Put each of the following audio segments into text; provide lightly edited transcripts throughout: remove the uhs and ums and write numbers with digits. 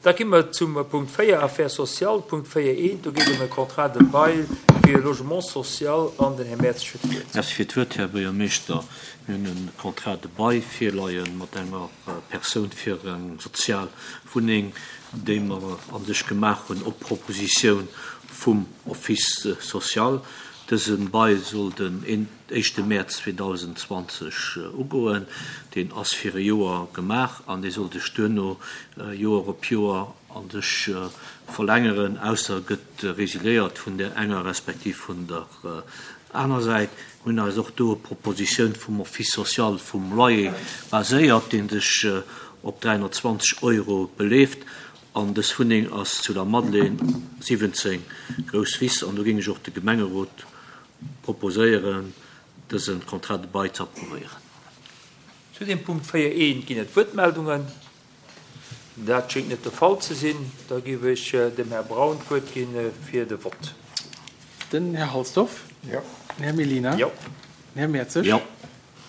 Da gi mer zum Punkt 4, Affaires sociales, Punkt 4.1. Do geet et ëm e Contrat de bail fir e Logement social an den Här Mertz huet d'Wuert. Merci fir d'Wuert, Här Buergermeeschter. Mir hunn e Contrat de bail virleie mat enger Persoun fir eng sozial Wunneng, déi mer a sech gemaach hunn op Propositioun vum Office social. Dëse Bail soll den éischte Mäerz 2020 ugoen. Deen ass fir e Joer gemaach an dee soll sech duerno Joer op Joer a sech verlängeren, ausser e gëtt resiliéiert vun där enger respektiv vun der aner Säit. Mir hunn eis och do op d'Propositioun vum Office social vum Loyer baséiert, dee sech op 320 Euro beleeft. An dës Wunneng ass zu der Madeleine 17, Grousswiss. An do géing ech och de Gemengerot proposéieren, dëse Contrat de bail ze approuvéieren. Zu dem Punkt 4 I ginn et Wuertmeldungen. Dat schéngt net de Fall ze sinn. Da géif ech dem Här Braun d'Wuert gi fir de Vott. Den Här Halsdorf. Jo. Den Här Mellina. Jo. Den Här Mertzig. Jo.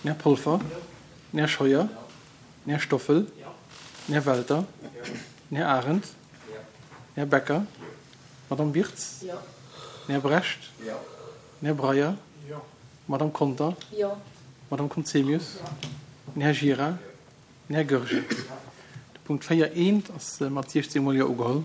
Den Här Polfer. Den Här Scheuer. Den Här Stoffel. Den Här Welter. Den Här Arendt. Den Här Becker. D'Madame Wirtz. Den Här Brecht. Den Här Breyer. D'Madame Conter. D'Madame Conzemius. Den Här Gira. Den Här Goergen. De Punkt 4 eent ass mat 16 mol Jo ugeholl.